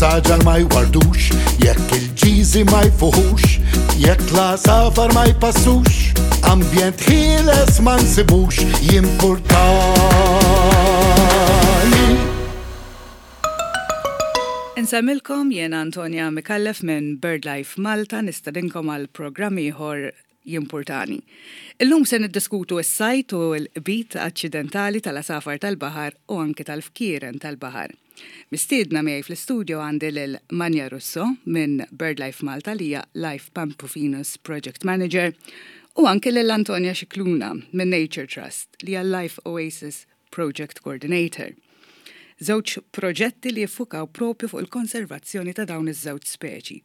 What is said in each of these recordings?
is-saġar ma jwardux, jekk il-ġiżi ma jfuħux, jekk l-għasafar ma jpassux, ambjent ħieles ma nsibux, jimpurtani. Insemmilkom jiena Antonia Micallef minn BirdLife Malta nistedinkom għal programm ieħor jimpurtani. Illum se niddiskutu s-sajd u l-qbid aċċidentali tal-għasafar tal-baħar u anki tal-fkieren tal-baħar. Mistiedna miegħi fl-istudio għandi lil Manja Russo minn BirdLife Malta li hija Life Pamprophenus Project Manager u anki lil Antonia Scicluna minn Nature Trust li hija Life Oasis Project Coordinator. Żewġ proġetti li jiffukaw propju fuq il-konservazzjoni ta' dawn iż-żewġ speċi.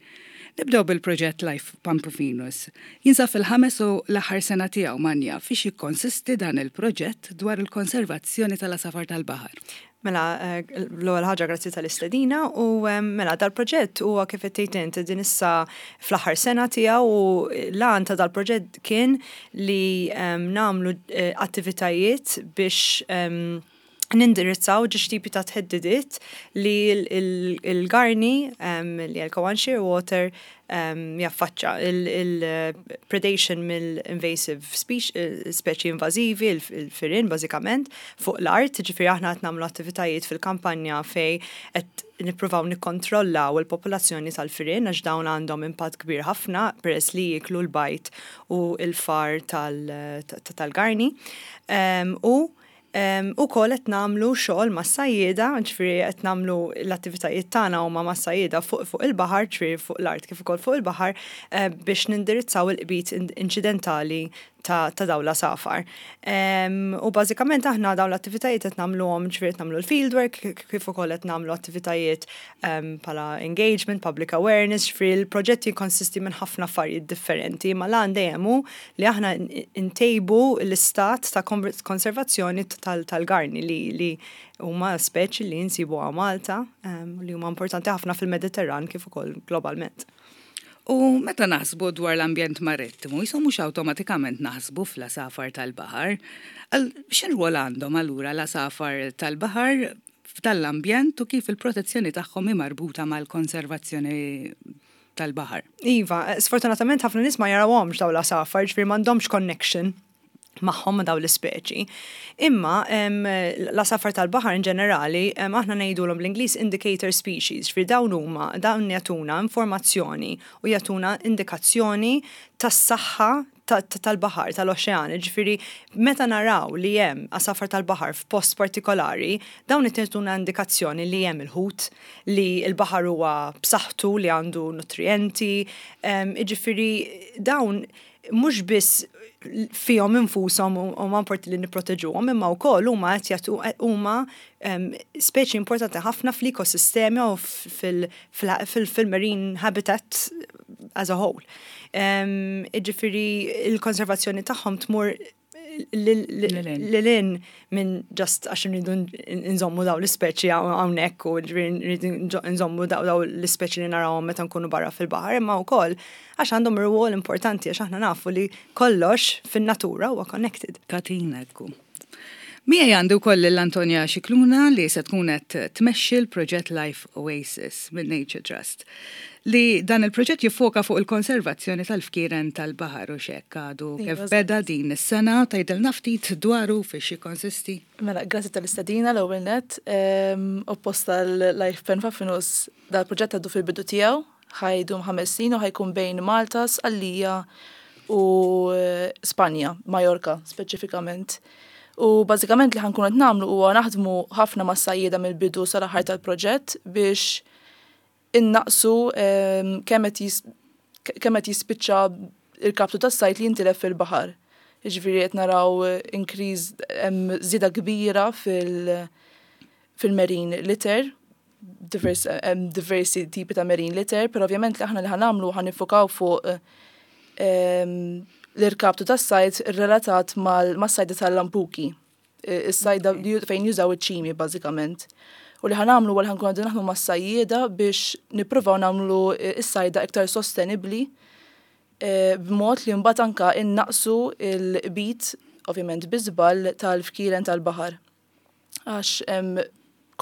Nibdew bil-proġett Life Pamprophenus. Jinsab fil-ħames u l-aħħar sena tiegħu Manja, fiex jikkonsisti dan il-proġett dwar il-konservazzjoni tal-għasafar tal-baħar? Mela, l-ewwel ħaġa grazzi tal-istedina u mela dal-proġett huwa kif qed tgħid int din issa fl-aħħar sena tiegħu u l-għan ta' dal-proġett kien li nagħmlu attivitajiet biex nindirizzaw ġiex tipi ta' theddidiet li l-garni li l-Cowan Shearwater jaffaċċa il-predation mill-invasive speċi invażivi, il-firien bażikament, fuq l-art, ġifieri aħna qed nagħmlu attivitajiet fil-kampanja fej qed nippruvaw nikkontrollaw il-popolazzjoni tal-firien għax dawn għandhom impatt kbir ħafna peress li jieklu l-bajd u l-far tal-garni. U Ukoll qed nagħmlu xogħol mas-sajjieda, ġifieri qed nagħmlu l-attivitajiet tagħna huma mas-sajjieda fuq fuq il-baħar, ġifieri fuq l-art kif ukoll fuq il-baħar biex nindirizzaw il-qbid inċidentali ta' ta' dawn l-għasafar. U bażikament aħna dawn l-attivitajiet qed nagħmluhom, ġifieri qed nagħmlu l-field work kif ukoll qed nagħmlu attivitajiet bħala engagement, public awareness, ġifieri l-proġett jikkonsisti minn ħafna affarijiet differenti, imma l-għan dejjem hu li aħna ntejbu l-istat ta' konservazzjoni tal-garni li huma speċi li nsibu hawn Malta li huma importanti ħafna fil-Mediterran kif ukoll globalment. U meta naħsbu dwar l-ambjent marittimu, jisu mhux awtomatikament naħsbu fl-għasafar tal-baħar. X'irwol għandhom allura l-għasafar tal-baħar f'dan l-ambjent u kif il-protezzjoni tagħhom hi marbuta mal-konservazzjoni tal-baħar. Iva, sfortunatament ħafna nies ma jarawhomx dawn l-għasafar, ġifieri m'għandhomx connection magħhom ma' dawn l-ispeċi. Imma l-għasafar tal-baħar in ġenerali aħna ngħidulhom bl-Ingliż indicator species, ġifieri dawn huma dawn jagħtuna informazzjoni u jagħtuna indikazzjoni tas-saħħa tal-baħar, tal-oċean, ġifieri meta naraw li hemm għasafar tal-baħar f'post partikolari, dawn qed jagħtuna indikazzjoni li hemm il-ħut, li l-baħar huwa b'saħħtu, li għandu nutrijenti, jiġifieri dawn mhux biss fihom infushom huma importanti li nipproteġuhom, imma wkoll huma qed jagħtu huma speċi importanti ħafna fl-ekosistemi u fil-marine habitat as a whole. Jiġifieri il-konservazzjoni tagħhom tmur lil hinn minn just għax nridu nżommu daw l-ispeċi hawnhekk u nridu nżommu daw l-ispeċi li narawhom meta nkunu barra fil-baħar, imma wkoll għax għandhom rwol importanti għax aħna nafu li kollox fin-natura huwa connected. Katina tkun. Miegħi għandi wkoll lil Antonia Scicluna li se tkun qed tmexxi l-proġett Life Oasis minn Nature Trust. Li dan il-proġett jiffoka fuq il-konservazzjoni tal-fkieren tal-baħar u x'hekk għadu kif beda din is-sena, tgħidilna ftit dwaru fiex jikkonsisti? Mela, grazzi tal-istedina l-ewwel nett. Oppost tal-Life Penfafinus dal-proġett għadu fil-bidu tiegħu, ħa jdum 5 snin u ħa jkun bejn Malta, Sqallija u Spanja, Majorka speċifikament. U bażikament li ħa nkunu qed nagħmlu huwa naħdmu ħafna mas-sajjieda mill-bidu sal-aħħar tal-proġett biex innaqsu kemm qed jispiċċa il-kaptu tas-sajd li jintilef fil-baħar. Jiġifieri qed naraw increase hemm żieda kbira fil- fil-marine litter, hemm diversi tipi ta' marine litter, però ovvjament li aħna li ħa nagħmlu ħa niffukaw fuq l-irkaptu tas-sajd relatat mas-sajda tal-lampuki. Is-sajda fejn jużaw iċ-ċimi bażikament. U li ħa nagħmlu huwa li ħa nkunu qegħdin naħdmu mas-sajjieda biex nippruvaw nagħmlu s-sajda iktar sostenibbli b'mod li mbagħad anka innaqsu l-qbid, ovvjament bi żball, tal-fkieren tal-baħar. Għax hemm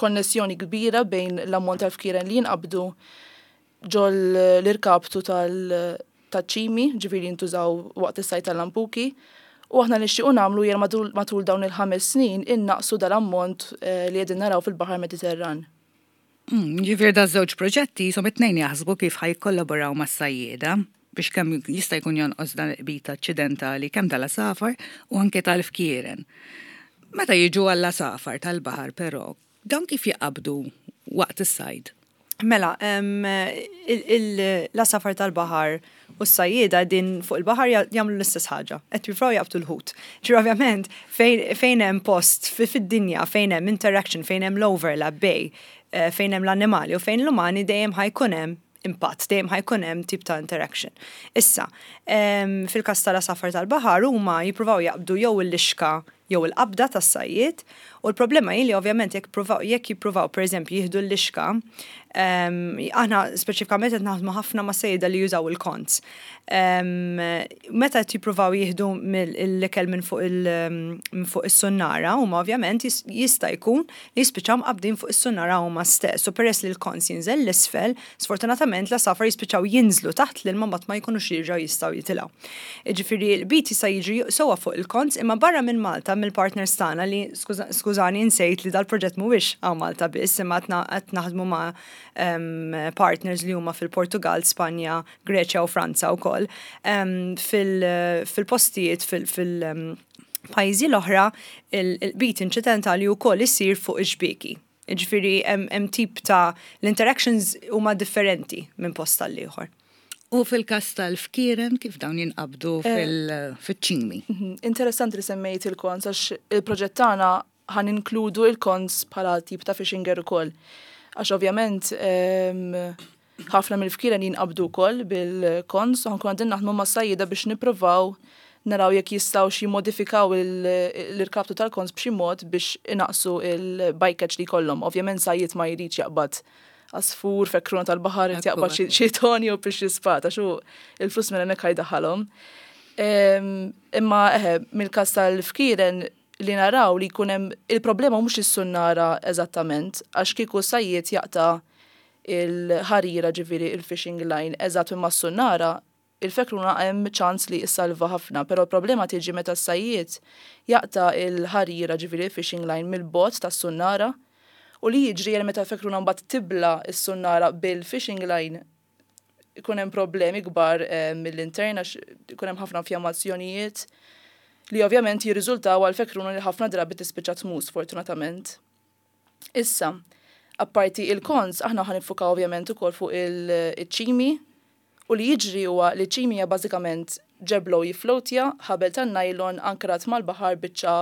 konnessjoni kbira bejn l-ammont tal-fkieren li jinqabdu ġol l-irkaptu tal-ċimi, ġifieri jintużaw waqt is-sajd tal-lampuki. U aħna nixtiequ nagħmlu hija matul dawn il-ħames snin innaqsu dal-ammont eh, li qegħdin naraw fil-Baħar Mediterran. Hmm, ġifieri da żewġ proġetti jisom it-tnejn jaħsbu kif ħa jikkollaboraw mas-sajjieda biex kemm jista' jkun jonqos dan il-qbit aċċidentali kemm tal-għasafar u anke tal-fkieren. Meta jiġu għall-għasafar tal-baħar però, dawn kif jaqabdu waqt is-sajd? Mela, l-għasafar tal-baħar u s-sajjieda din fuq il-baħar jagħmlu l-istess ħaġa, qed jippruvaw jaqbdu l-ħut. Ġifieri ovvjament fejn hemm post fid-dinja fejn hemm interaction, fejn hemm l-overlap bej eh, fejn hemm l-annimali u fejn l-umani dejjem ħa jkun hemm impatt, dejjem ħa jkun hemm tip ta' interaction. Issa, fil-każ tal-għasafar tal-baħar huma jippruvaw jaqbdu jew il-lixka jew il-qabda tas-sajjied u l-problema hi li ovvjament jekk jippruvaw jekk jippruvaw pereżempju jieħdu l-lixka, aħna speċifikament qed naħdmu ħafna ma' sejjieda li jużaw il-konz. Meta qed jippruvaw jieħdu l-ikel minn fuq minn fuq is-sunnara huma ovvjament jista' jkun li jispiċċaw mqabbdin fuq is-sunnara huma stess u peress li l-konz jinżel 'l isfel, sfortunatament l-għasafar jispiċċaw jinżlu taħt l-ilma mbagħad ma jkunux jerġgħu jistgħu jitilgħu. Jiġifieri l-qbid jista' jiġri sewwa fuq il-konz imma barra minn Malta mill-partners tagħna li skużani insejt li dal-proġett mhuwiex hawn Malta biss imma qed naħdmu ma' partners li huma fil-Portugall, Spanja, Greċja u Franza wkoll, fil-postijiet fil-pajjiżi l-oħra il-qbid inċidentali wkoll isir fuq ix-xbieki. Jiġifieri hemm tip ta' l-interactions huma differenti minn post għal ieħor. U fil-każ tal-fkieren kif dawn jinqabdu eh, fil-ċimi? Mhm. Interessanti li semmejt il-kons għax il-proġett tagħna ħa ninkludu il-kons bħala tip ta' fishing gear ukoll. Għax ovvjament ehm, ħafna mill-fkieren jinqabdu wkoll bil-kons u ħankun għandin naħdmu ma' sajjida biex nippruvaw naraw jekk jistgħux jimmodifikaw l-irkaptu tal-kons b'xi mod biex inaqsu il-bycatch li jkollhom. Ovvjament sajjid ma jridx jaqbad għasfur, fekruna tal-baħar, irid jaqbad xi toni u biex jispata, xu il-flus minn hemmhekk ħajdaħħalhom. Ehm, imma eħe, mill-każ tal-fkieren li naraw li jkun hemm il-problema mhux is-sunnara eżattament, għax kieku sajjied jaqta' il-ħarira ġifieri il-fishing line eżatt minn mas-sunnara, il-fekruna hemm ċans li issalva ħafna, però l-problema tiġi meta s-sajjied jaqta' il-ħarira ġifieri il-fishing line mill-bogħod tas-sunnara u li jiġri meta l-fekruna mbagħad tibla' s-sunnara bil-fishing line ikun hemm problemi kbar eh, mill-intern għax ikun hemm ħafna infjammazzjonijiet li ovvjament jirriżultaw għal fekruna li ħafna drabi tispiċċa tmut sfortunatament. Issa, apparti il-kons, aħna ħa nifukaw ovvjament ukoll fuq il-ċimi u li jiġri huwa li ċimi hija bażikament ġeblo jiflowtja, ħabel tan-nylon ankrat mal-baħar biċċa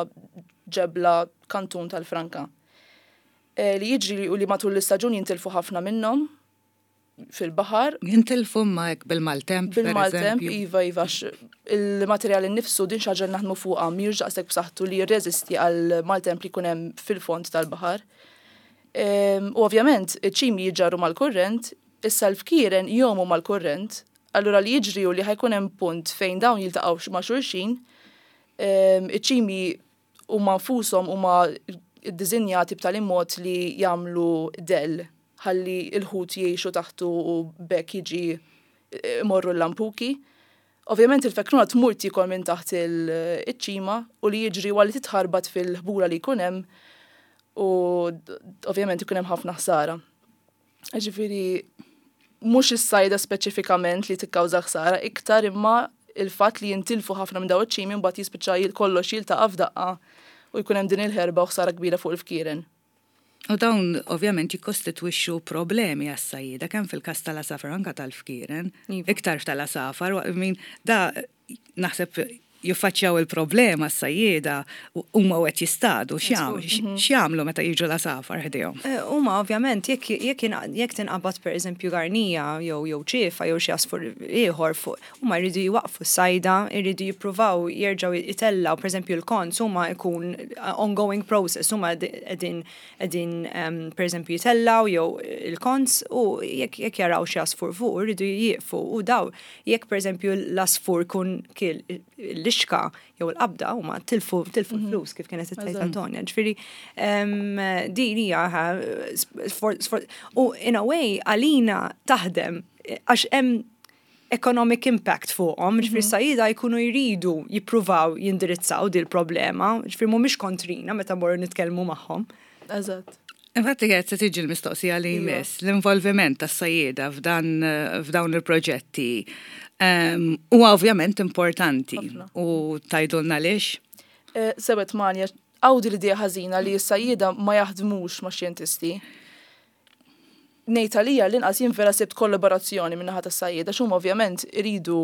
ġebla kantun tal-franka. Eh, li jiġri u li matul l-istaġun jintilfu ħafna minnhom, fil-baħar. Jintilfu ma hekk bil-maltemp. Bil-maltemp, iva, iva, il-materjal innifsu din xaġa naħdmu fuqha mhijiex daqshekk b'saħħtu li jirreżisti għal maltemp li jkun hemm fil-fond tal-baħar. Ehm, u ovvjament, iċ-ċimi jiġġarru mal-kurrent, issa l-fkieren jomu mal-kurrent, allura li jiġri u li ħajkun hemm punt fejn dawn jiltaqgħu ma' xulxin, ehm, iċ-ċimi huma nfushom huma ddisinjati b'tali mod li jagħmlu dell ħalli l-ħut jgħixu taħtu u b'hekk jiġi imorru l-lampuki. Ovvjament il-fekruna tmur tiekol minn taħt iċ-ċima u li jiġri huwa li titħarbat fil-ħbura li jkun hemm u ovvjament ikun hemm ħafna ħsara. Ġifieri mhux is-sajda speċifikament li tikkawża ħsara, iktar imma il-fatt li jintilfu ħafna minn dawn iċ-ċimi mbagħad jispiċċa kollox jiltaqa' f'daqqa u jkun hemm din il-ħerba u ħsara kbira fuq il-fkieren. U dawn ovvjament jikkostitwixxu problemi għas-sajjieda kemm fil-każ tal-għasafar anke tal-fkieren, iva. iktar tal-għasafar, min da naħseb jiffaċċjaw il-problema s-sajjieda huma u qed jistadu mhm. x'jagħmlu meta jiġu l-għasafar ħdejhom. Eh, huma ovvjament jekk tinqabad pereżempju garnija jew jew ċiefa jew xi għasfur ieħor fuq huma jridu jwaqfu s-sajda, jridu jippruvaw jerġgħu jitellgħu pereżempju l-konz huma jkun eh, ongoing process huma qegħdin qegħdin ehm, pereżempju jitellgħu jew il-konz u jekk jaraw xi għasfur fuq jridu jieqfu u daw Jekk pereżempju l-għasfur jkun kiel l-lixka. il-lixka jew il-qabda huma tilfu tilfu flus kif kienet tgħid Antonia. Ġifieri din hija u in a way għalina taħdem għax hemm economic impact fuqhom, ġifieri sajjieda jkunu jridu jippruvaw jindirizzaw dil problema, ġifieri mhumiex kontrina meta morru nitkellmu magħhom. Eżatt. Infatti qed se tiġi l-mistoqsija li Iva. jmiss, l-involviment tas-sajjieda f'dan f'dawn il-proġetti huwa ovvjament importanti Ħafna. u tgħidulna għaliex? Sebet manja, għawdi l-idea ħażina li s-sajjieda ma jaħdmux ma' xjentisti. Ngħid għalija l-inqas jien vera sibt kollaborazzjoni minn naħa tas-sajjieda x'huma ovvjament iridu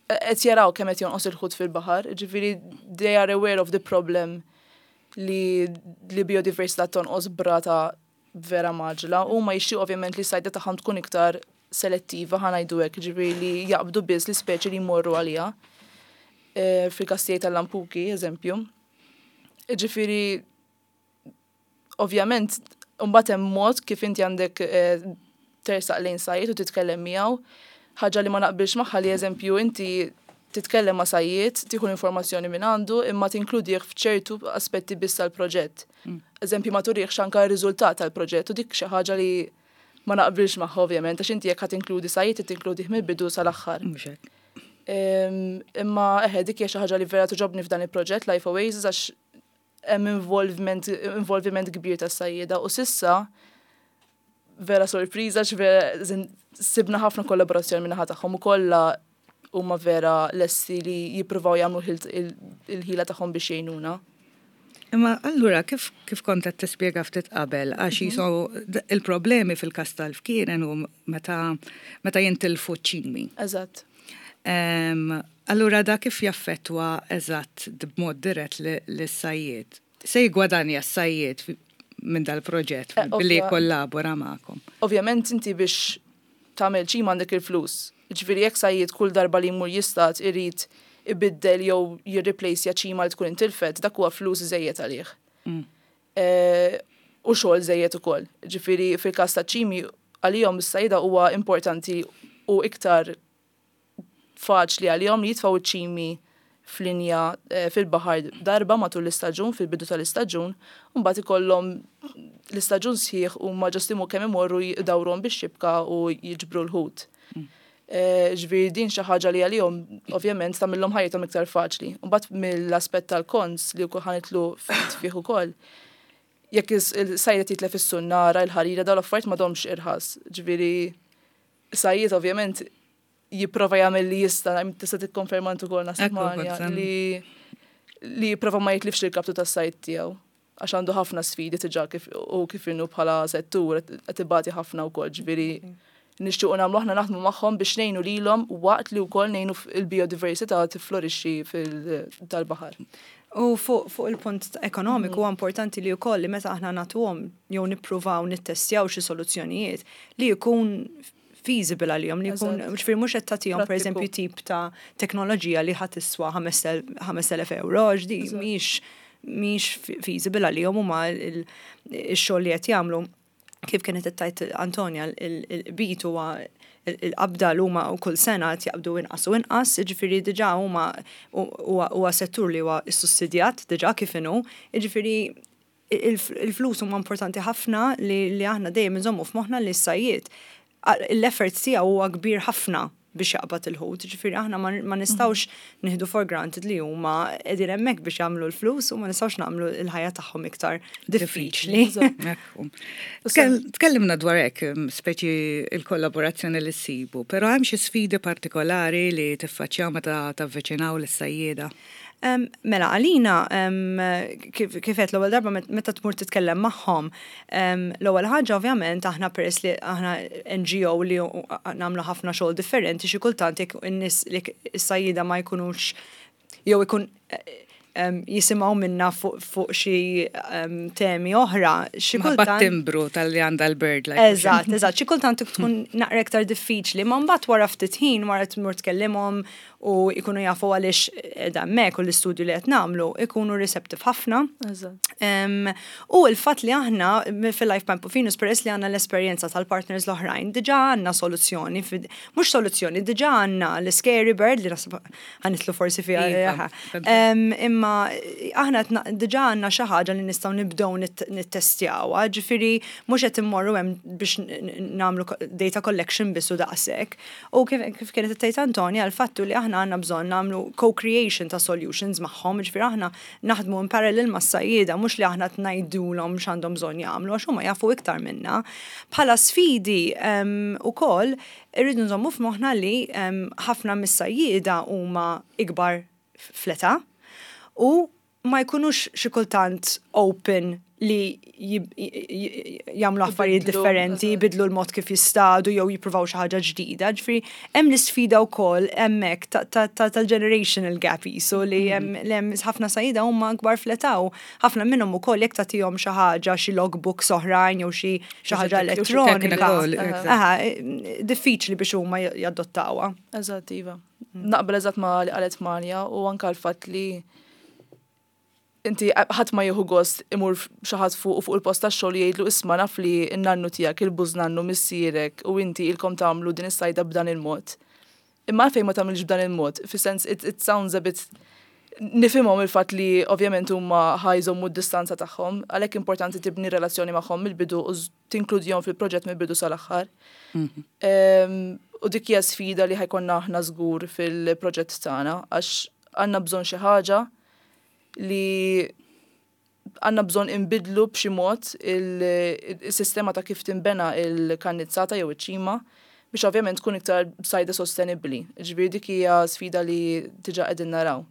qed jaraw kemm qed jonqos il-ħut fil-baħar, ġifieri they are aware of the problem li biodiversità tonqos b'rata vera mgħaġġla u ma jixtiequ ovvjament li s-sajda tagħhom tkun iktar selettiva, ħa ngħidu hekk, ġifieri li jaqbdu biss l-ispeċi li jmorru għaliha. Fil-każ tiegħi tal-lampuki, eżempju. Ġifieri ovvjament mbagħad hemm mod kif inti għandek tersaq lejn sajjied u titkellem miegħu, ħaġa li ma naqbilx magħha li eżempju inti titkellem ma' sajjied, tieħu l-informazzjoni minn għandu imma tinkludih f'ċertu aspetti biss tal-proġett. Eżempju ma turihx anke r-riżultat tal-proġett u dik xi ħaġa li ma naqbilx magħha ovvjament, għax inti jekk ħa tinkludi sajjied tinkludih mill-bidu sal-aħħar. Mhux hekk. Imma eħe dik hija xi ħaġa li vera togħġobni f'dan il-proġett Life Oasis għax hemm involviment kbir tas-sajjieda u s'issa vera sorpriża vera sibna ħafna kollaborazzjoni minn naħa tagħhom u kollha huma vera lesti li jippruvaw jagħmlu il-ħila tagħhom biex jgħinuna. Imma allura kif kont qed tispjega ftit qabel għax jisu il-problemi fil-każ tal-fkieren u meta jintilfu ċimi. Eżatt. Allura da kif jaffettwa eżatt b'mod dirett lis-sajjied? Se jigwadanja s-sajjied minn dal-proġett billi kollabora magħkom? Ovvjament inti biex tagħmel ċima għandek il-flus. Ġifieri jekk sajjied kull darba li jmur jistad irid ibiddel jew jirreplace ċima li tkun intilfet, dak huwa flus żejjed għalih. U xogħol żejjed ukoll. Ġifieri fil-każ ta' ċimi għalihom is-sajda huwa importanti u iktar faċli għalihom li jitfgħu ċimi f'linja fil-baħar darba matul l-istaġun, fil-bidu tal-istaġun, u mbagħad ikollhom l-istaġun sħiħ u ma ġostimu kemm imorru jdawruhom bix-xibka u jiġbru l-ħut. Ġifieri din xi ħaġa li għalihom ovvjament tagħmilhom ħajjithom iktar faċli. Mbagħad mill-aspett tal-cons li wkoll ħa nidħlu ftit fih ukoll, jekk il-sajjied jitlef is-sunnara, il-ħarira, dawn l-affarijiet m'għadhomx irħas. Ġifieri sajjied ovvjament jipprova jagħmel li jista', tista' tikkonferma int ukoll Ekku, Manja, kont li jipprova ma jitlifx il-kaptu tas-sajd tiegħu. Għax għandu ħafna sfidi diġà kif u kif inhu bħala settur qed ibati ħafna wkoll, ġifieri nixtiequ nagħmlu aħna naħdmu magħhom biex ngħinu lilhom waqt li wkoll ngħinu il-biodiversità tiflorixxi fil-tal-baħar. U fuq il-punt ekonomiku huwa importanti li wkoll li meta aħna nagħtuhom jew nippruvaw nittestjaw xi soluzzjonijiet li jkun feasible għalihom, li jkun, ġifieri mhux qed tagħtihom Prattiku. pereżempju tip ta' teknoloġija li ħa tiswa 5000 euro, għax di mhix feasible għalihom huma il-xogħol li qed jagħmlu. Kif kienet tgħid Antonia, il-bit huwa il-qabda l huma u kull sena qed jaqbdu inqas u inqas, jiġifieri diġà huma huwa settur li huwa ssussidjat diġà kif inhu, jiġifieri il-flus huma importanti ħafna li aħna dejjem inżommu f'moħħna li s-sajjied l-effort tiegħu huwa kbir ħafna biex jaqbad il-ħut, ġifieri aħna ma nistgħux nieħdu for granted li huma qegħdin hemmhekk biex jagħmlu l-flus u ma nistgħux nagħmlu l-ħajja tagħhom iktar diffiċli. Ekku. Tkellimna dwar hekk, speċi il-kollaborazzjoni li ssibu, però hemm xi sfidi partikolari li tiffaċċjaw meta tavviċinaw lis-sajjieda? Mela, għalina, kif qed l-ewwel darba meta tmur titkellem magħhom, l-ewwel ħaġa ovvjament aħna peress li aħna NGO li nagħmlu ħafna xogħol differenti, xi kultant jekk in-nies li is-sajjieda ma jkunux jew ikun jisimgħu minna fuq xi temi oħra. Xi kultant timbru tal-li għandha l-BirdLife. Eżatt, xi kultant tkun naqra iktar diffiċli, ma mbagħad wara ftit ħin wara tmur tkellimhom u jkunu jafu għaliex qiegħda hemmhekk u l-istudju li qed nagħmlu ikunu receptive ħafna. U l-fatt li aħna fil-Life Plan Puffinus peress li għandna l-esperjenza tal-partners l-oħrajn, diġà għandna soluzzjoni, mhux soluzzjoni, diġà għandna l-Scary Bird li naħseb ħa nidħlu forsi fiha. Iva, Imma aħna diġà għandna xi ħaġa li nistgħu nibdew nittestjawha, ġifieri mhux qed immorru hemm biex nagħmlu data collection biss u daqshekk. U kif kienet tgħid Antonia, l-fattu li aħna għandna bżonn nagħmlu co-creation ta' solutions magħhom, ġifieri aħna naħdmu in parallel mas-sajjieda, mhux li aħna ngħidulhom x'għandhom bżonn jagħmlu għax huma jafu iktar minna. Bħala sfidi ukoll irridu nżommu f'moħħna li ħafna mis-sajjieda huma ikbar fl-età u ma jkunux xi kultant open li jagħmlu affarijiet differenti, jibidlu l-mod kif jistadu jew jippruvaw xi ħaġa ġdida. Ġifieri hemm l-isfida wkoll hemmhekk tal-generational gap jisu li hemm ħafna sajjieda huma akbar fl-età u ħafna minnhom ukoll jekk tagħtihom xi ħaġa, xi logbooks oħrajn jew xi ħaġa elettronika. Aha, diffiċli biex huma jadottawha. Eżatt, iva. Naqbel eżatt ma li qalet Manja u anka l-fatt li inti ħadd ma jieħu gost imur xi ħadd fuq il-post tax-xogħol jgħidlu isma' naf li n-nannu tiegħek, il-bużnannu missierek u inti ilkom tagħmlu din is-sajda b'dan il-mod. Imma għalfejn ma tagħmilx b'dan il-mod? Fis-sens it sounds a bit nifhimhom il-fatt li ovvjament huma ħa jżommu d-distanza tagħhom, għalhekk importanti tibni relazzjoni magħhom mill-bidu u tinkludihom fil-proġett mill-bidu sal-aħħar. U dik hija sfida li ħa jkollna aħna żgur fil-proġett tagħna għax għandna bżonn xi ħaġa li għandna bżonn inbidlu b'xi mod il-sistema ta' kif tinbena il-kannizzata jew iċ-ċima biex ovvjament tkun iktar sajda sostenibbli. Ġifieri dik hija sfida li diġà qegħdin naraw.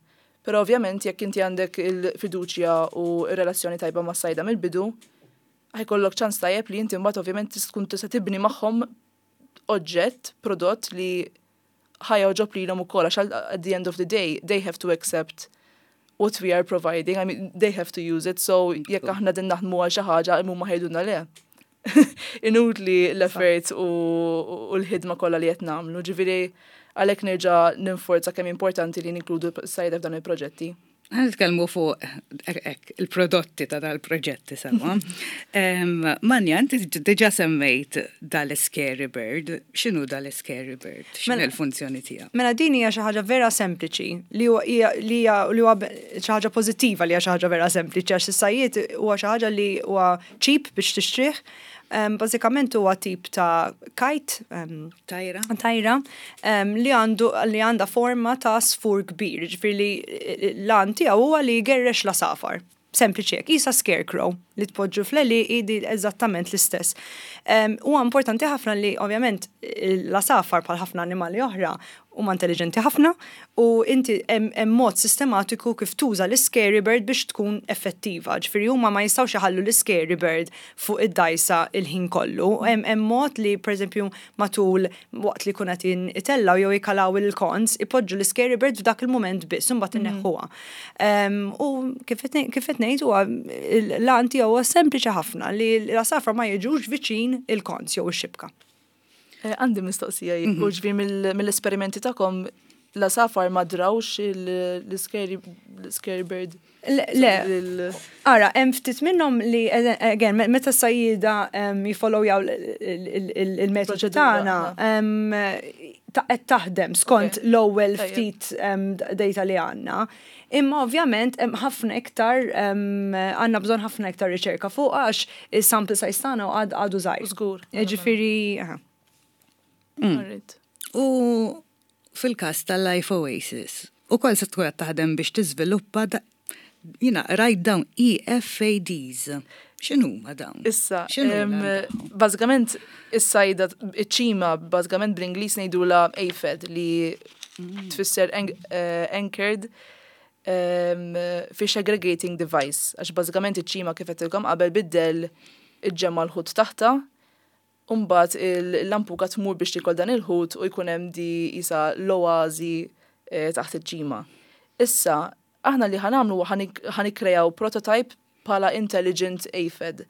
Però ovvjament jekk inti għandek il-fiduċja u r-relazzjoni tajba mas-sajda mill-bidu, ħa jkollok ċans tajjeb li inti mbagħad ovvjament tkun tista' tibni magħhom oġġett, prodott li ħa jogħġob lilhom ukoll għax at the end of the day they have to accept what we are providing, I mean they have to use it, so jekk aħna din naħdmu għal xi ħaġa huma ħa jgħidulna le. Inutli l-effort u l-ħidma kollha li qed nagħmlu. Ġifieri għalhekk nerġa' ninforza kemm importanti li ninkludu s-sajda f'dan il-proġetti. Ħa nitkellmu fuq il-prodotti ta' dal-proġetti sewa. Manja, inti diġà semmejt dal-Scary Bird. X'inhu dal-Scary Bird? X'inhu Mela- l-funzjoni tiegħu? Mela din hija xi ħaġa vera sempliċi li huwa li hija li huwa xi ħaġa pożittiva li hija xi ħaġa vera sempliċi għax is-sajjied huwa xi ħaġa li huwa cheap biex tixtrih. Bażikament huwa tip ta' kite, Tajra? tajra, li għandu li għandha forma ta' għasfur kbir, ġifieri li l-għan tiegħu huwa li jgerrex l-għasafar. Sempliċi hekk, qisha scarecrow li tpoġġu fl-għelieqi di eżattament l-istess. Huwa importanti ħafna li ovvjament l-għasafar bħal ħafna annimali oħra huma intelligenti ħafna u inti hemm mod sistematiku kif tuża l-scary bird biex tkun effettiva. Ġifieri huma ma jistgħux iħallu l-scary bird fuq id-dajsa il-ħin kollu. Hemm mod li pereżempju matul waqt li jkun qed itellgħu jew jkalaw il-cons, ipoġġu l-scary bird f'dak il-mument biss u mbagħad inneħħuha. U kif qed ngħid huwa l-għan tiegħu huwa sempliċi ħafna li l-għasafar ma jiġux viċin il-cons jew ix-xibka. Għandi mistoqsija jien, u ġifieri mill-esperimenti tagħkom l-għasafar ma drawx l-scary bird? Le, ara, hemm ftit minnhom li, again, meta s-sajjieda jifollowjaw il-metodu tagħna, qed taħdem skont l-ewwel ftit data li għandna. Imma ovvjament hemm ħafna iktar għandna bżonn ħafna iktar riċerka fuq għax is-sample size tagħna għadu żgħir. Żgur. Ġifieri, U fil-każ tal-Life Oasis, ukoll se tkun qed taħdem biex tiżviluppa jiena rajt dawn EFADs. X'inhuma dawn? Issa, bażikament is-sajda iċ-ċima bażikament bl-Ingliż ngħidulha AFAD li tfisser Anchored Fish Aggregating Device, għax bażikament iċ-ċima kif għedtilkom qabel bid-dell iġġemma' l-ħut taħtha, u mbagħad il-lampuka tmur biex tiekol dan il-ħut u jkun hemm di qisha l-oażi taħt iċ-ċima. Issa, Aħna li ħa nagħmlu huwa ħa nikkrejaw prototype bħala intelligent AFED.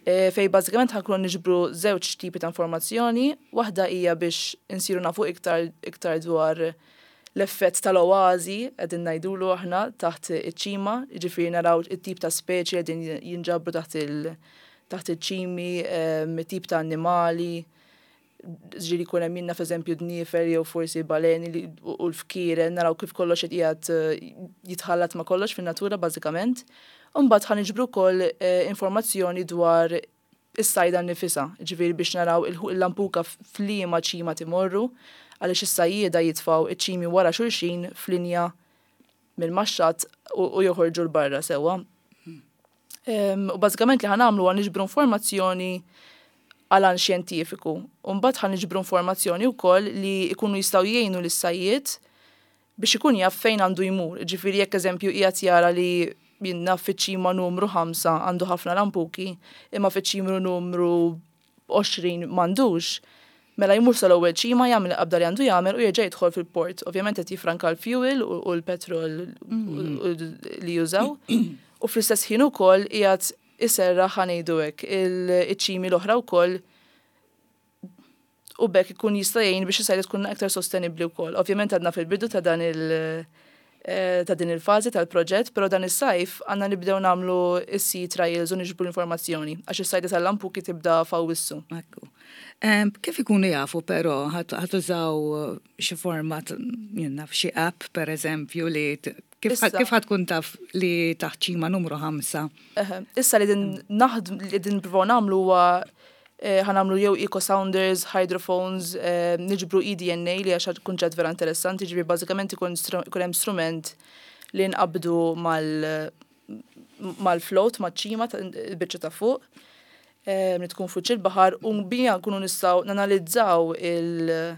Fejn bażikament ħa nkunu niġbru żewġ tipi ta' informazzjoni, waħda hija biex insiru nafu iktar iktar dwar l-effett tal-oażi qegħdin ngħidulu aħna taħt iċ-ċima, jiġifieri naraw it-tip ta' speċi qegħdin jinġabru taħt il taħt iċ-ċimi, it-tip ta' annimali, ġieli jkun hemm jien naf eżempju dniefel jew forsi baleni li u l-fkieren naraw kif kollox qed qiegħed jitħallat ma' kollox fin-natura bażikament. U mbagħad ħa niġbru wkoll informazzjoni dwar is-sajda nnifisha, ġifieri biex naraw il-lampuka f'liema ċima timorru għaliex is-sajjieda jitfgħu iċ-ċimi wara xulxin f'linja minn max-xatt u joħorġu 'l barra sewwa. U bażikament li ħa nagħmlu huwa niġbru informazzjoni għal għan xjentifiku. U mbagħad ħa niġbru informazzjoni wkoll li jkunu jistgħu jgħinu lis-sajjied biex ikun jaf fejn għandu jmur. Ġifieri jekk eżempju qiegħed jara li jien naf fiċ-ċima numru 5 għandu ħafna lampuki, imma fiċ-ċimru numru 20 m'għandux, mela jmur sal-ewwel ċima jagħmel il-qabda li għandu jagħmel u jerġa' jidħol fil-port. Ovvjament qed jifranka l-fuel u l-petrol li jużaw. U fl-istess ħin ukoll qiegħed iserraħ ħa ngħidu hekk il-ċimi l-oħra wkoll u b'hekk ikun jista' jgħin biex is-sajda tkun aktar sostenibbli wkoll. Ovvjament għadna fil-bidu ta' dan il- ta' din il-fażi tal-proġett, però dan is-sajf għandna nibdew nagħmlu is-sea trials u niġbru l-informazzjoni għax is-sajda tal-lampuki tibda f'Awwissu. Ekku. Kif ikunu jafu però ħa tużaw xi forma jien naf xi app per eżempju li kif kif ħa tkun taf li taħt ċima numru 5? Issa li din naħdm li din nippruvaw nagħmlu huwa ħa nagħmlu jew eco sounders, hydrophones, niġbru eDNA li hija xi kunċett vera interessanti, ġifieri bażikament ikun ikun hemm strument li nqabbdu mal mal-float, maċ-ċima, il-biċċa ta' fuq, li tkun fuq il-baħar u bija nkunu nistgħu nanalizzaw il-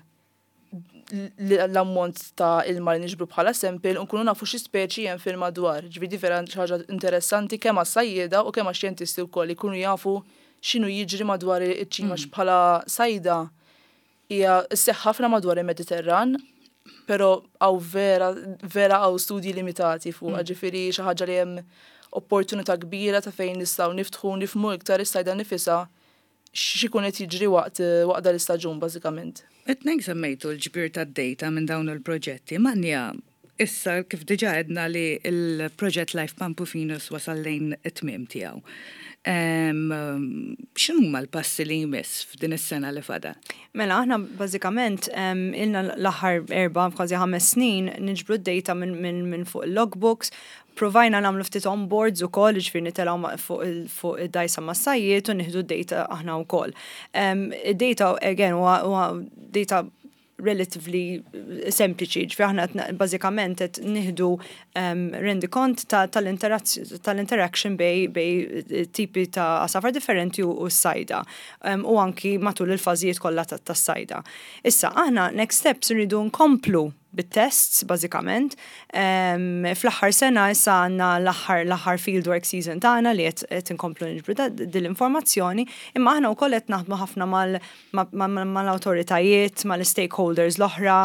l-ammont ta' ilma li niġbru bħala sample u nkunu nafu xi speċi hemm fil-madwar. Ġifieri di vera xi ħaġa interessanti kemm għas-sajjieda u kemm għax-xjentisti wkoll jkunu jafu x'inhu jiġri madwar iċ-ċima mm. bħala sajda hija sseħħ ħafna madwar il-Mediterran, però hawn vera vera hawn studji limitati fuqha, mm. ġifieri xi ħaġa li hemm opportunità kbira ta' fejn nistgħu niftħu nifhmu iktar is-sajda nifisha x'ikun qed jiġri waqt waqt dan l-istaġun bażikament. It-tnejn semmejtu l-ġbir tad-data minn dawn il-proġetti. Manja, issa kif diġà għedna li l-proġett Life Pampufinus wasal lejn it-tmiem tiegħu. X'inhuma l-passi li jmiss f'din is-sena li fadal? Mela, aħna bażikament ilna l-aħħar 4, kważi 5 snin niġbru d-data minn fuq il-logbooks. Provajna nagħmlu ftit on boards ukoll, jiġifieri nitilgħu fuq id-dgħajsa mas-sajjied u nieħdu d-data aħna wkoll. Id-data again huwa data relatively sempliċi, ġifieri aħna bażikament qed nieħdu rendikont tal-interaction bejn tipi ta' għasafar differenti u s-sajda u anki matul il-fażijiet kollha tas-sajda. Issa aħna next steps irridu nkomplu bit-tests bażikament. Fl-aħħar sena issa għandna l-aħħar l-aħħar fieldwork season tagħna li qed inkomplu niġbru din l-informazzjoni, imma aħna wkoll qed naħdmu ħafna mal-awtoritajiet, mal-stakeholders l-oħra,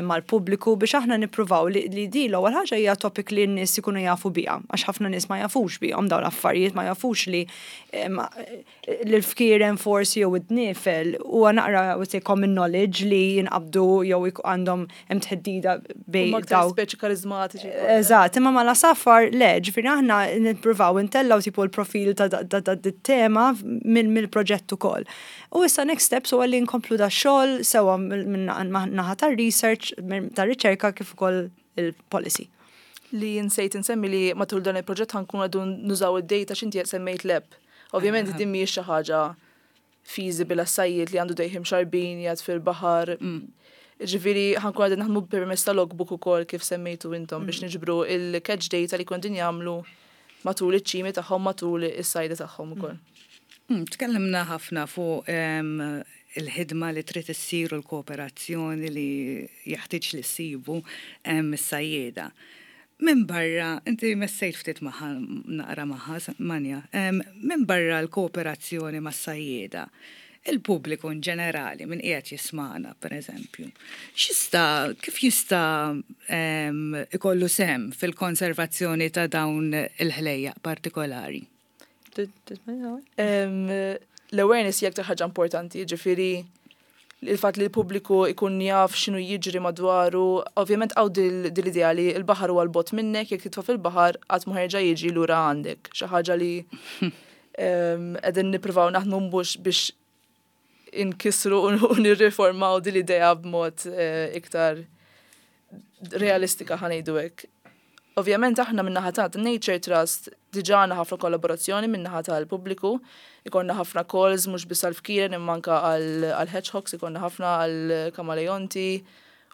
mal-pubbliku biex aħna nippruvaw li di l-ewwel ħaġa hija topic li n-nies ikunu jafu biha, għax ħafna nies ma jafux bihom dawn l-affarijiet, ma jafux li l-fkieren forsi jew id-dniefel huwa naqra I would say common knowledge li jinqabdu jew għandhom hemm tħeddida bejn daw. Speċi karizmatiċi. Eżatt, imma mal-għasafar le, ġifieri aħna nippruvaw intellgħu tipo l-profil ta' tema mill-proġett ukoll. U issa next steps huwa li nkomplu da xogħol sewa minn naħa tar-research, tar-riċerka kif ukoll il-policy. Li nsejt insemmi li matul dan il-proġett ħa nkunu għadu nużaw id-data x'inti qed semmejt l-app. Ovvjament din mhijiex xi ħaġa feasible għas-sajjied li għandu dejjem xarbin jgħad fil-baħar. Ġifieri ħa nkunu qegħdin naħdmu permezz ta' logbook ukoll kif semmejtu intom biex niġbru il-catch data li kont jagħmlu matul iċ-ċimi tagħhom matul is-sajda tagħhom ukoll. Tkellimna ħafna fuq il-ħidma li trid issir u l-kooperazzjoni li jeħtieġ li ssibu mis-sajjieda. Minn barra, inti messejt ftit magħha naqra magħha, Manja, minn barra l-kooperazzjoni mas-sajjieda, Il-pubbliku in ġenerali min qiegħed jismagħna pereżempju, x'jista' kif jista' ikollu sehem fil-konservazzjoni ta' dawn il-ħlejjaq partikolari? L-awareness hija aktar ħaġa importanti, jiġifieri il-fatt li l-pubbliku ikun jaf x'inhu jiġri madwaru, ovvjament hawn dil-idea li l-baħar huwa 'l bogħod minnek, jekk titfa' fil-baħar qatt ma ħerġa' jiġi lura għandek. Xi ħaġa li qegħdin nippruvaw naħdmu mhux biex inkissru u nirriformaw din l-idea b'mod eh, iktar realistika ħa ngħidu hekk. Ovvjament aħna min-naħa ta' Nature Trust diġà għandna ħafna kollaborazzjoni min-naħa tal-pubbliku, ikollna ħafna calls mhux biss għall-fkieren imma anke għall-hedgehogs, ikollna ħafna għall-kamaleonti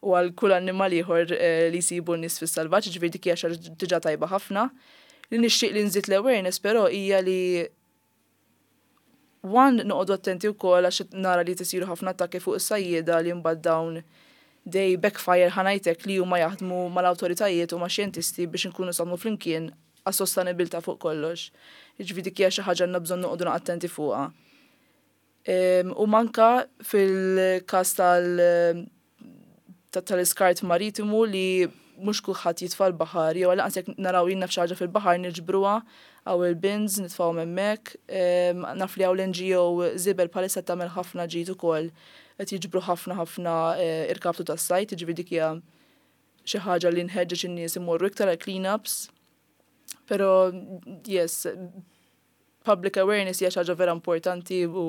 u għal kull annimal ieħor eh, li jsibu n-nies fis-salvaġġ, ġifieri dik hija xi ħaġa diġà tajba ħafna. Li nixtieq li nżid l-awareness però hija li One, noqogħdu attenti wkoll għax nara li tisiru ħafna attakki fuq is-sajjieda li mbagħad dawn they backfire ħa ngħid hekk li huma jaħdmu mal-awtoritajiet u max-xjentisti biex inkunu nistgħu naħdmu flimkien għas-sostenibilità fuq kollox. Jiġifieri dik hija xi ħaġa għandna bżonn noqogħdu attenti fuqha. U manka fil-każ tal tal-iskart maritimu li mhux kulħadd jitfa' l-baħar jew għall-anqas jekk naraw jien naf xi ħaġa fil-baħar niġbruha hawn il-bins nitfgħuhom hemmhekk. Naf li hawn l-NGO Żibel bħalissa qed tagħmel ħafna ġid ukoll qed jiġbru ħafna ħafna irkaptu tas-sajd, jiġifieri dik hija xi ħaġa li nħeġġeġ in-nies imorru iktar għal clean-ups. Però yes, public awareness hija xi ħaġa vera importanti u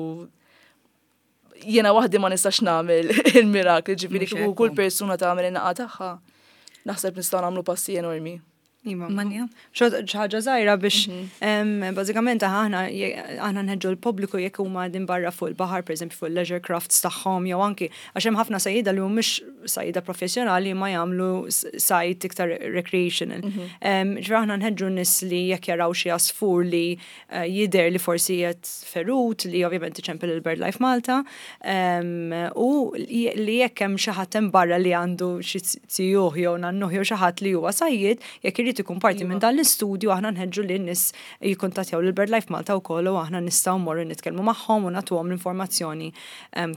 jiena waħdi ma nistax nagħmel il-mirakli, ġifieri kieku kull persuna tagħmel in-naqa tagħha, naħseb nistgħu nagħmlu passi enormi. Iva. Manja. ħaġa żgħira biex mhm. bażikament aħna aħna nħeġġu l-pubbliku jekk huma din barra fuq il-baħar, pereżempju fuq il-leisure crafts tagħhom jew anki għax hemm ħafna sajjieda li mhumiex sajjieda professjonali ma jagħmlu sajd iktar recreational. Mhm. Ġifieri aħna nħeġġu nies li jekk jaraw xi għasfur li Eh, jidher li forsi qed ferut li ovvjament iċempel il-BirdLife Malta u li jekk hemm xi ħadd hemm barra li għandu xi zijuh jew nannuh jew xi ħadd li huwa sajjied, jekk irid ikun parti minn iva. dan l-istudju aħna nħeġġu lin nies jikkuntattjaw lil BirdLife Malta wkoll u aħna nistgħu mmorru nitkellmu magħhom u nagħtuhom l-informazzjoni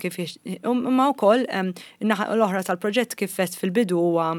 kif imma wkoll l-oħra tal-proġett kif fil-bidu huwa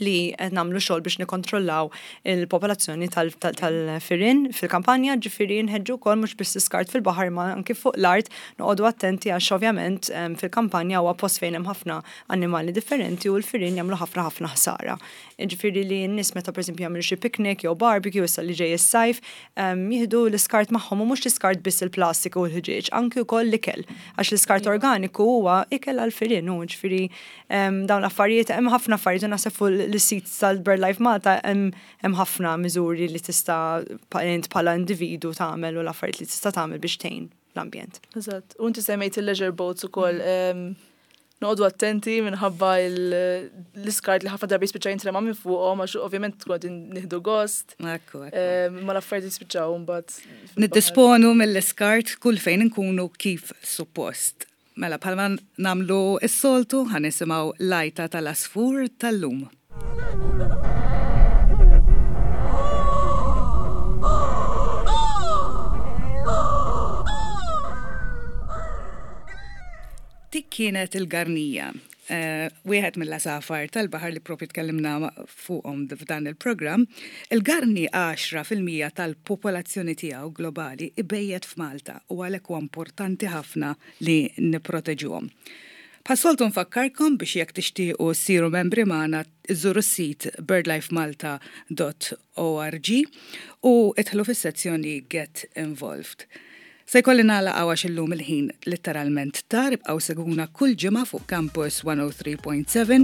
li qed nagħmlu xogħol biex nikkontrollaw il-popolazzjoni tal-firien fil-kampanja, ġifieri nħeġġu wkoll mhux biss iskart fil-baħar ma anki fuq l-art noqogħdu attenti għax ovvjament fil-kampanja huwa post fejn hemm ħafna annimali differenti u l-firien jagħmlu ħafna ħafna ħsara. Ġifieri li n-nies meta pereżempju jagħmlu xi picnic jew barbecue issa li ġej is-sajf, jieħdu l-iskart magħhom u mhux l-iskart biss il-plastik u l-ħġieġ, anki wkoll l-ikel. Għax l-iskart organiku huwa ikel għall-firien u ġifieri Dawn l-affarijiet, hemm ħafna affarijiet u naħseb fuq l-sit tal-BirdLife Malta hemm ħafna miżuri li tista' int bħala individu tagħmel u l-affarijiet li tista' tagħmel biex tgħin l-ambjent. Eżatt. U inti semmejt il-leisure boats ukoll. Noqogħdu attenti minħabba l-iskart li ħafna drabi jispiċċa jintrema minn fuqhom għax ovvjament tkun qegħdin nieħdu gost. Ekku, ekku. Ma l-affarijiet jispiċċaw mbagħad. Niddisponu mill-iskart kull fejn inkunu kif suppost. Mela bħalma nagħmlu s-soltu ħa nisimgħu l-għajta tal-għasfur tal-lum. Dik kienet il-garnija, eh, wieħed mill-għasafar tal-baħar li propju tkellimna fuqhom f'dan il-programm. Il-garni 10% tal-popolazzjoni tiegħu globali ibejjet f'Malta u għalhekk huwa importanti ħafna li nipproteġuhom. Bħas-soltu nfakkarkom biex jekk tixtiequ ssiru membri magħna żżuru s-sit birdlifemalta.org u idħlu fis-sezzjoni Get Involved. Se jkolli nagħlaq hawn għax illum il-ħin litteralment tar, ibqgħu segwuna kull ġimgħa fuq Campus 103.7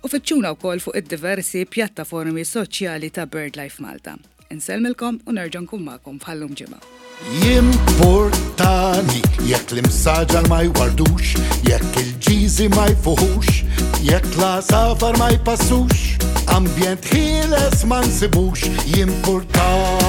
u fittxuna wkoll fuq id-diversi pjattaformi soċjali ta' BirdLife Malta. Insellmilkom u nerġa' nkun magħkom bħallum ġimgħa. Jimportani jekk l-imsaġar ma jwardux, jekk il-ġiżi ma jfuħux, jekk l-għasafar ma jpassux, ambjent ħieles ma nsibux, jimportani.